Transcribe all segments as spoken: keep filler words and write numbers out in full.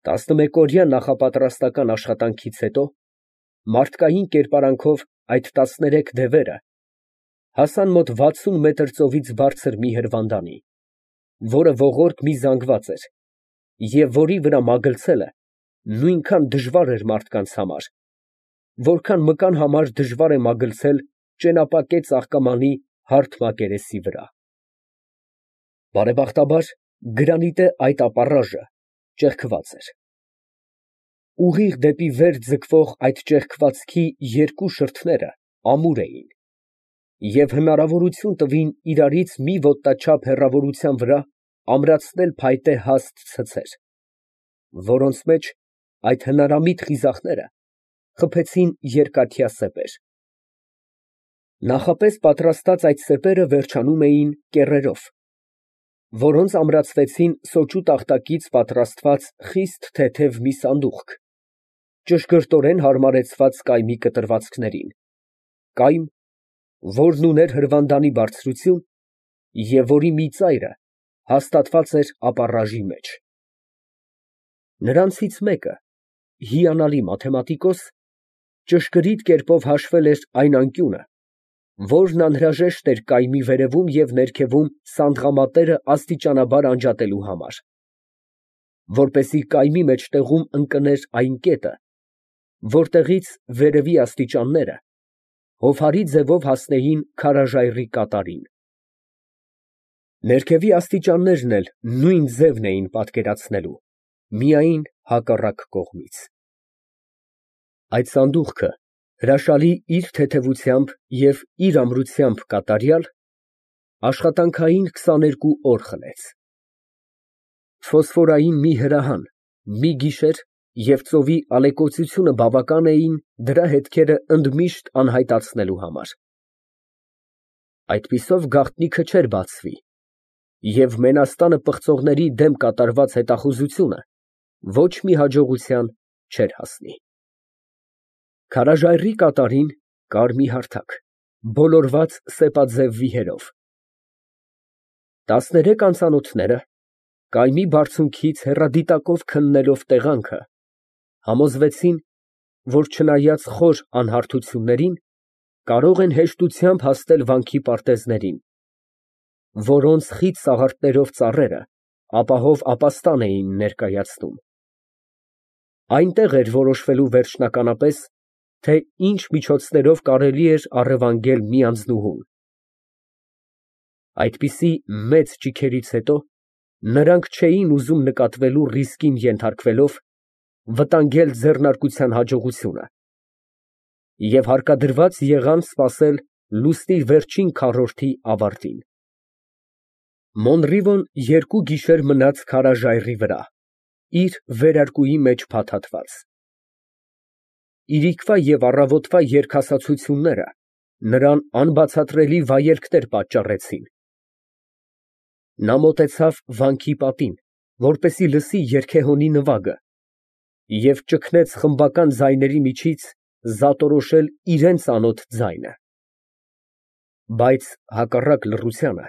Տասնմեկօրյա նախապատրաստական աշխատանքից հետո մարդկային կերպարանքով այդ տասներեք դևերը հասան մոտ վաթսուն մետր ծովից բարձր մի հրվանդանի, որը ողորկ մի զանգված էր, և որի վրա մագլցելը նույնքան դժվար էր մարդկանց համար, որքան մկան համար դժվար է մագլցել ճենապակե ծաղկամանի հարթ մակերեսի վրա։ Բարեբախտաբար, գրանիտե այդ ապառաժը ճեղքված էր։ Ուղիղ դեպի վեր ձգվող այդ ճեղքվածքի երկու շրթները ամուր էին և հնարավորություն տվին իրարից մի ոտնաչափ հեռավորության վրա ամրացնել փայտե հաստ ցցեր, որոնց մեջ այդ հնարամիտ խիզախները խփեցին երկաթյա սեպեր։ Նախապես պատրաստած այդ սեպերը վերջանում էին կեռերով, որոնց ամրացվեցին սոճու տախտակից պատրաստված խիստ թեթև մի սանդուղք, ճշգրտորեն հարմարեցված կայմի կտրվածքներին, կայմ, որն ուներ հրվանդանի բարձրություն և որի մի ծայրը հաստատված էր ապառաժի մեջ։ Նրանցից մեկը, հիանալի մաթեմատիկոս, ճշգրիտ կերպով հաշվել էր այն անկյունը, որն անհրաժեշտ էր կայմի վերևում և ներքևում սանդղամատները աստիճանաբար անջատելու համար, որպեսզի կայմի մեջտեղում ընկներ այն կետը, որտեղից վերևի աստիճանները հովհարի ձևով հասնեին քարաժայռի կատարին։ Ներքևի աստիճաններն էլ նույն ձևն էին պատկերացնելու, միայն հակառակ կողմից։ Այդ սանդուղքը հրաշալի իր թեթևությամբ և իր ամրությամբ կատարյալ, աշխատանքային քսաներկու օր խլեց։ Ֆոսֆորային մի հրահան, մի գիշեր և ծովի ալեկոծությունը բավական էին դրա հետքերը ընդմիշտ անհայտացնելու համար։ Այդպիսով գաղտնիքը չէր բացվի, և մենաստանը պղծողների դեմ կատարված հետախուզությունը ոչ մի հաջողության չէր հասնի։ Քարաժայռի կատարին կար մի հարթակ, բոլորված սեպաձև վիհերով։ Տասներեք անծանոթները, կայմի բարձունքից հեռադիտակով քննելով տեղանքը, համոզվեցին, որ չնայած խոր անհարթություններին, կարող են հեշտությամբ հասնել վանքի պարտեզներին, որոնց խիտ սաղարթներով ծառերը ապահով ապաստան էին ներկայացնում։ Այնտեղ էր որոշվելու վերջնականապես, թե ինչ միջոցներով կարելի էր առևանգել մի անձնուհուն։ Այդպիսի մեծ ճիգերից հետո նրանք չէին ուզում նկատվելու ռիսկին ենթարկվելով, վտանգել ձեռնարկության հաջողությունը և հարկադրված եղան սպասել լուսնի վերջին քառորդի ավարտին։ Մոնրիվոն երկու գիշեր մնաց քարաժայռի վրա, իր վերարկուի մեջ փաթաթված։ Իրիկվա և առավոտվա երկհասացությունները նրան անբացատրելի վայելքներ պատճառեցին։ Նա մոտեցավ վանքի պատին, որպեսզի լսի երգեհոնի նվագը, և ճգնեց խմբական ձայների միջից զատորոշել իրան ծանոթ ձայնը։ Բայց հակառակ լռությանը,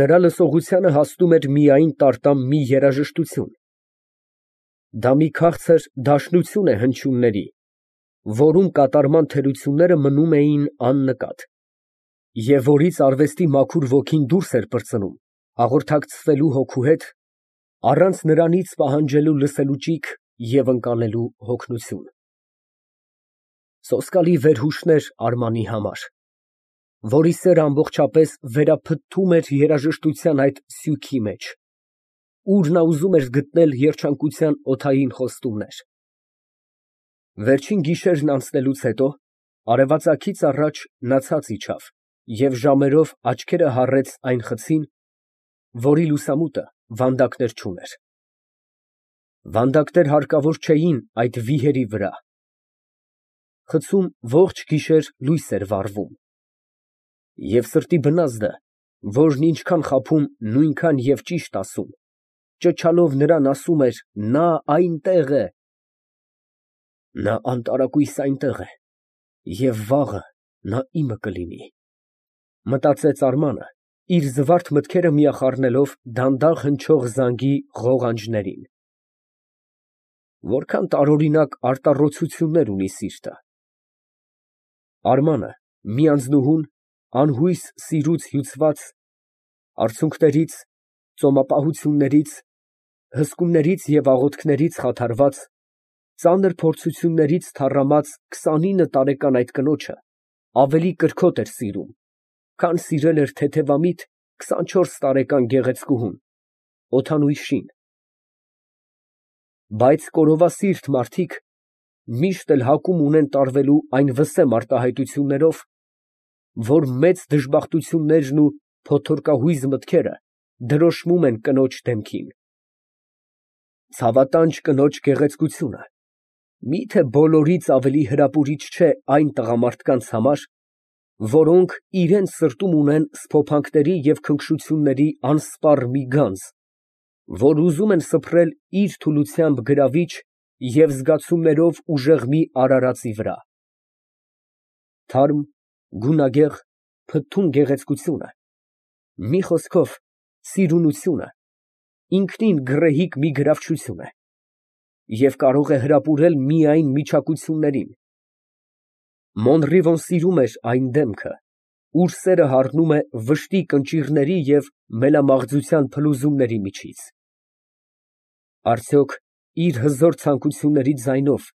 նրա լսողությանը հասնում էր միայն տարտամ մի երաժշտություն։ Դա մի քաղցր դաշնություն է հնչյունների, որում կատարման թերությունները մնում էին աննկատ, և որից արվեստի մաքուր ոգին դուրս էր պրծնում, հաղորդակցվելու հոգու հետ, առանց նրանից պահանջելու լսելու ճիգ և ընկալելու հոգնություն։ Սոսկալի վերհուշներ Արմանի համար, որի սերը ամբողջապես վերափտտում էր երաժշտության այդ սյուքի մեջ, ուր նա ուզում էր գտնել երջանկության օդային խոստումներ։ Վերջին գիշերն անցնելուց հետո, արևածագից առաջ նա ցած իջավ և ժամերով աչքերը հառեց այն խցին, որի լուսամուտը վանդակներ չուներ։ Վանդակներ հարկավոր չէին այդ վիհերի վրա։ Խցում ողջ գիշեր լույս էր վառվում, և սրտի բնազդը, որն ինչքան խաբում, նույնքան և ճիշտ ասում, ճչալով նրան ասում էր. «Նա այնտեղ է, նա անտարակույս այնտեղ է, և վաղը նա իմը կլինի», ֊ մտածեց Արմանը, իր զվարթ մտքերը միախառնելով դանդաղ հնչող զանգի ղողանջներին։ Որքան տարօրինակ արտառոցություններ ունի սիրտը։ Արմանը մի անձնուհուն, անհույս սիրուց հյուծված, արցունքներից, ծոմապահություններից, հսկումներից և աղոթքներից խաթարված, ծանր փորձություններից թառամած քսանինը տարեկան այդ կնոջը ավելի կրքոտ էր սիրում, քան սիրել էր թեթևամիտ քսանչորս տարեկան գեղեցկուհուն, Օթանույշին։ Բայց կորովասիրտ մարդիկ միշտ էլ հակում ունեն տարվելու այն վսեմ արտահայտություններով, որ մեծ դժբախտություններն ու փոթորկահույզ մտքերը դրոշմում են կնոջ դեմքին։ Ցավատանջ կնոջ գեղեցկությունը մի՞թե բոլորից ավելի հրապուրիչ չէ այն տղամարդկանց համար, որոնք իրանց սրտում ունեն սփոփանքների և քնքշությունների անսպառ մի գանձ, որ ուզում են սփռել իր թուլությամբ գրավիչ և զգացումներով ուժեղ մի արարածի վրա։ Թարմ, գունագեղ, փթթուն գեղեցկությունը, մի խոսքով սիրունությունը, ինքնին գռեհիկ մի գրավչություն է և կարող է հրապուրել միայն միջակություններին։ Մոնրիվոն սիրում էր այն դեմքը, ուր սերը հառնում է վշտի կնճիռների և մելամաղձության փլուզումների միջից։ Արդյոք իր հզոր ցանկությունների ձայնով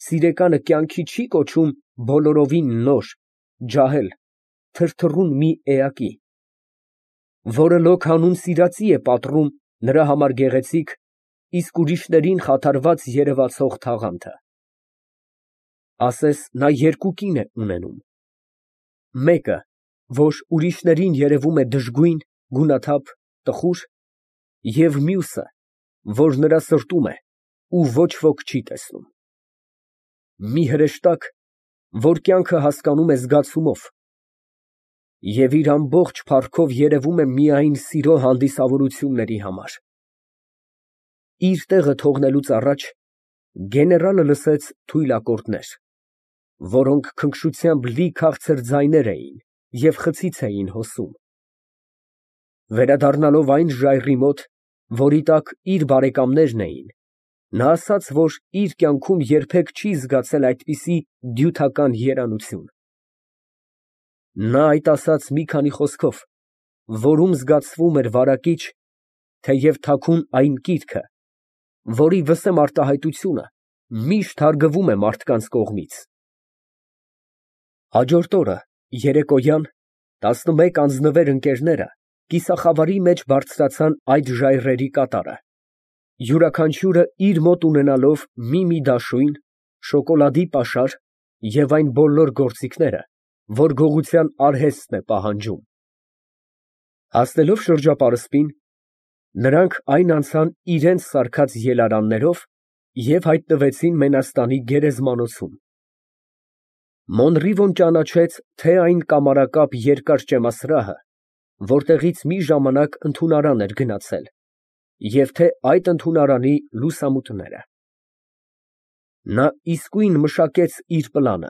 սիրեկանը կյանքի չի կոչում բոլորովին նոր, ջահել, թրթռուն մի էակի, որը լոկ հանուն սիրածի է պատռում նրա համար գեղեցիկ, իսկ ուրիշներին խաթարված երևացող թաղանթը։ Ասես նա երկու կին է ունենում. մեկը, որ ուրիշներին երևում է դժգույն, գունաթափ, տխուր, և մյուսը, որ նրա սրտում է ու ոչ ոք չի տեսնում։ Մի հրեշտակ, որ կյանքը հասկանում է զգացումով և իր ամբողջ փառքով երևում է միայն սիրո հանդիսավորությունների համար։ Իր տեղը թողնելուց առաջ գեներալը լսեց թույլ ակորդներ, որոնք քնքշությամբ լի քաղցր ձայներ էին և խցից էին հոսում։ Վերադառնալով այն ժայռի մոտ, որի տակ իր բարեկամներն էին, նա ասաց, որ իր կյանքում երբեք չի զգացել այդպիսի դյութական երանություն։ Նա այդ ասաց մի քանի խոսքով, որում զգացվում էր վարակիչ, թեև թաքուն այն կիրքը, որի վսեմ արտահայտությունը միշտ հարգվում է մարդկանց կողմից։ Հաջորդ օրը երեկոյան տասնմեկ անձնվեր ընկերները կիսախավարի մեջ բարձրացան այդ ժայռերի կատարը, յուրաքանչյուրը իր մոտ ունենալով մի֊մի դաշույն, շոկոլադի պաշար և այն բոլոր գործիքները, որ գողության արհեստն է պահանջում։ Հասնելով շրջապարսպին, նրանք այն անցան իրանց սարքած ելարաններով և հայտնվեցին Մենաստանի գերեզմանոցում։ Մոնրիվոն ճանաչեց թե այն կամարակապ երկար ճեմասրահը, որտեղից մի ժամանակ ընդունարան էր գնացել, և թե այդ ընդունարանի լուսամուտները։ Նա իսկույն մշակեց իր պլանը,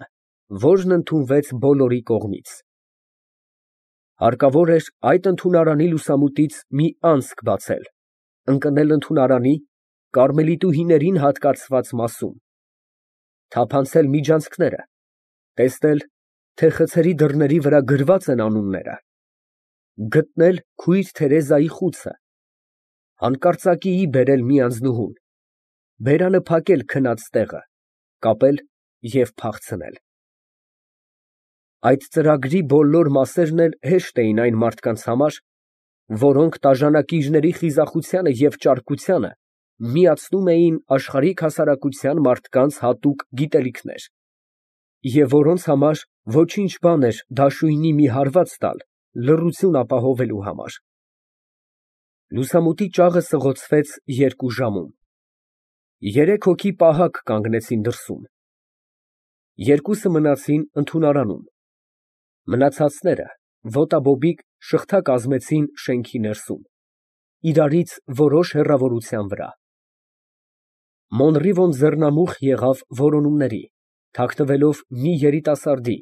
որն ընդունվեց բոլորի կողմից։ Հարկավոր էր այդ ընդունարանի լուսամուտից մի անցք բացել, ընկնել ընդունարանի կարմելիտուհիներին հատկացված մասում, թափանցել միջանցքները, տեսնել, թե խցերի դռների վրա գրված են անունները, գտնել քույր Թերեզայի խուցը, հանկարծակիի բերել մի անձնուհուն, բերանը փակել քնած տեղը, կապել և փախցնել։ Այդ ծրագրի բոլոր մասերն էլ հեշտ էին այն մարդկանց համար, որոնք տաժանակիրների խիզախությանը և ճարպկությանը միացնում էին աշխարհիկ հասարակության մարդկանց հատուկ գիտելիքներ, և որոնց համար ոչինչ բան էր դաշույնի մի հարված տալ լռություն ապահովելու համար։ Լուսամուտի ճաղը սղոցվեց երկու ժամում։ Երեք հոգի պահակ կանգնեցին դրսում։ Երկուսը մնացին ընդունարանում, մնացածները ոտաբոբիկ շղթա կազմեցին շենքի ներսում, իրարից որոշ հեռավորության վրա։ Մոնրիվոն ձեռնամուխ եղավ որոնումների, թաքնվելով մի երիտասարդի՝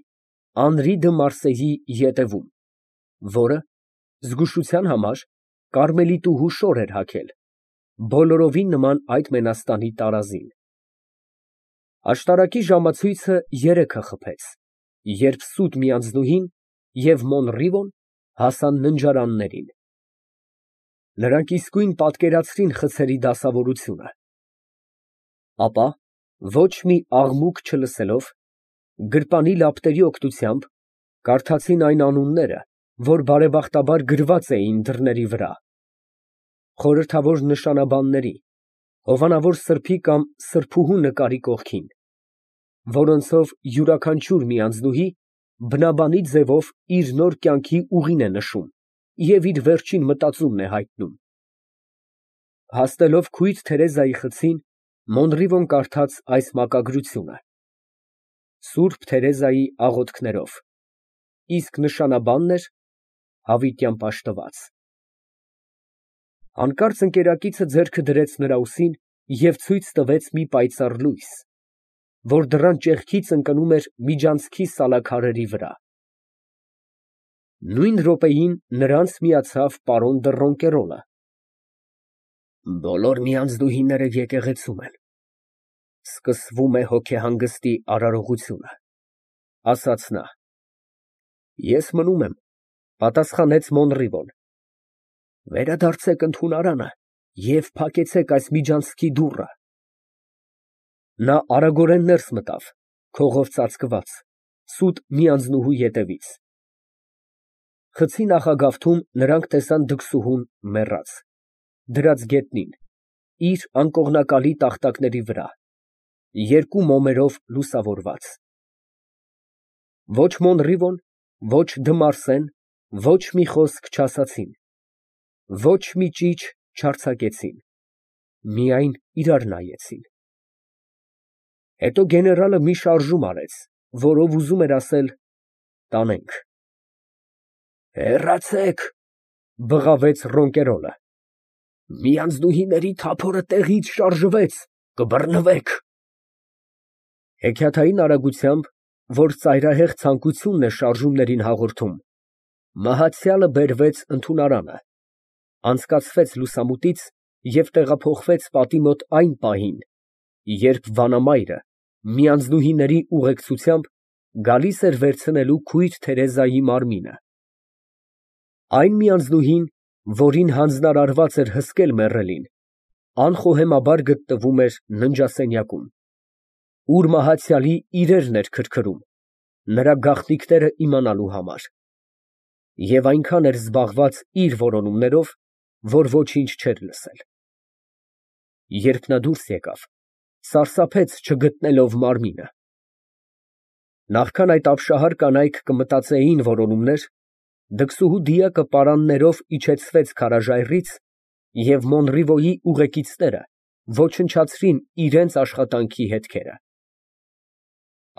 Անրի դը Մարսեյի ետևում, որը, զգուշության համար, կարմելիտուհու շոր էր հագել, բոլորովին նման այդ մենաստանի տարազին։ Աշտարակի ժամացույցը երեքը խփեց, երբ սուտ մի անձնուհին և Մոնռիվոն հասան ննջարաններին։ Նրանք իսկույն պատկերացրին խցերի դասավորությունը, ապա, ոչ մի աղմուկ չլսելով, գրպանի լապտերի օգնությամբ կարդացին այն անունները, որ բարեբախտաբար գրված էին դռների վրա, խորհրդավոր նշանաբանների, հովանավոր սրբի կամ սրբուհու նկարի կողքին, որոնցով յուրաքանչյուր մի անձնուհի բնաբանի ձևով իր նոր կյանքի ուղին է նշում և իր վերջին մտածումն է հայտնում։ Հասնելով քույր Թերեզայի խցին, Մոնռիվոն կարդաց այս մակագրությունը սուրբ Թերեզայի աղոթքներով, իսկ նշանաբանն էր հավիտյան պաշտված։ Հանկարծ ընկերակիցը ձեռքը դրեց նրա ուսին և ցույց տվեց մի պայծառ լույս, որ դռան ճեղքից ընկնում էր միջանցքի սալաքարերի վրա։ Նույն րոպեին նրանց միացավ պարոն դը Ռոնկերոլը։ Բոլոր միանձնուհիները եկեղեցում են, սկսվում է հոգեհանգստի արարողությունը, ասաց նա։ Ես մնում եմ, պատասխանեց Մոնռիվոն։ Վերադարձեք ընդունարանը և փակեցեք այս միջանցքի դուռը։ Նա արագորեն ներս մտավ, քողով ծածկված, սուտ մի անձնուհու ետևից։ Խցի նախագավթում նրանք տեսան դքսուհուն մեռած, դրած գետնին, իր անկողնակալի տախտակների վրա, երկու մոմերով լուսավորված։ Ոչ Մոնռիվոն, ոչ դը Մարսեն ոչ մի խոսք չասացին, ոչ մի ճիչ չարձակեցին, միայն իրար նայեցին։ Հետո գեներալը մի շարժում արեց, որով ուզում էր ասել «տանենք»։ Հեռացեք, բղավեց Ռոնկերոլը, միանձնուհիների թափորը տեղից շարժվեց, կբռնվեք։ Հեքիաթային արագությամբ, որ ծայրահեղ ցանկությունն է շարժումներին հաղորդում, մահացյալը բերվեց ընդունարանը, անցկացվեց լուսամուտից և տեղափոխվեց պատի մոտ այն պահին, երբ վանամայրը միանձնուհիների ուղեկցությամբ գալիս էր վերցնելու քույր Թերեզայի մարմինը։ Այն միանձնուհին, որին հանձնարարված էր հսկել մեռելին, անխոհեմաբար գտնվում էր ննջասենյակում, ուր մահացյալի իրերն էր քրքրում, նրա գաղտնիքները իմանալու համար, և այնքան էր զբաղված իր որոնումներով, որ ոչինչ չէր լսել։ Երբ նա դուրս եկավ, սարսափեց չգտնելով մարմինը։ Նախքան այդ ապշահար կանայք կմտածեին որոնումներ, դքսուհու դիակը պարաններով իջեցվեց քարաժայռից, և Մոնռիվոյի ուղեկիցները ոչնչացրին իրենց աշխատանքի հետքերը։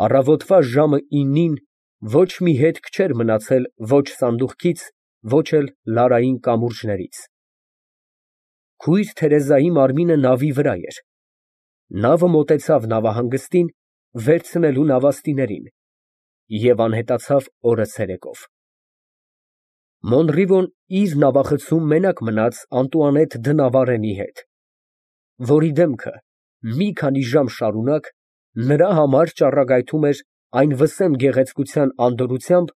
Առավոտվա ժամը իննին ոչ մի հետք չէր մնացել ոչ սանդուղքից, ոչ էլ լարային կամուրջներից։ Քույր Թերեզայի մարմինը նավի վրա էր։ Նավը մոտեցավ նավահանգստին, վերցնելու նավաստիներին, և անհետացավ օրը ցերեկով։ Մոնռիվոն իր նավախցում մենակ մնաց Անտուանետ դը Նավարենի հետ, որի դեմքը մի քանի ժամ շարունակ նրա համար ճառագայթում էր այն վսեմ գեղեցկության անդորրությամբ,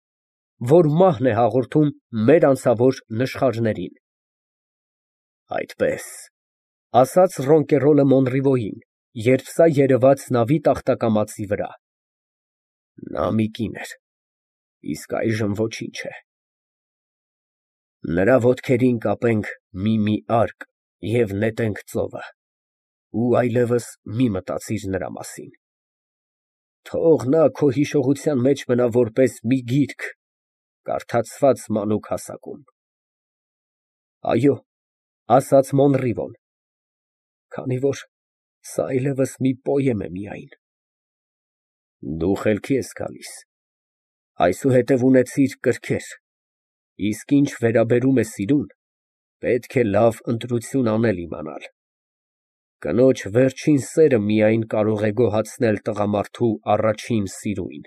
որ մահն է հաղորդում մեր անցավոր նշխարներին։ Այդպես, ասաց Ռոնկերոլը Մոնռիվոյին, երբ սա երևաց նավի տախտակամածի վրա։ Նա մի կին էր, իսկ այժմ ոչինչ է։ Նրա ոտքերին կապենք մի֊մի արկ և նետենք ծովը, ու այլևս մի մտածիր նրա մասին։ Թող նա քո հիշողության մեջ մնա որպես մի գիրք, կարդացված մանուկ հասակում։ Այո, ասաց Մոնռիվոն, քանի որ սա այլևս մի պոեմ է միայն։ Դու խելքի ես գալիս, այսուհետև ունեցիր կրքեր, իսկ ինչ վերաբերում է սիրուն, պետք է լավ ընտրություն անել իմանալ։ Կնոջ վերջին սերը միայն կարող է գոհացնել տղամարդու առաջին սիրուն։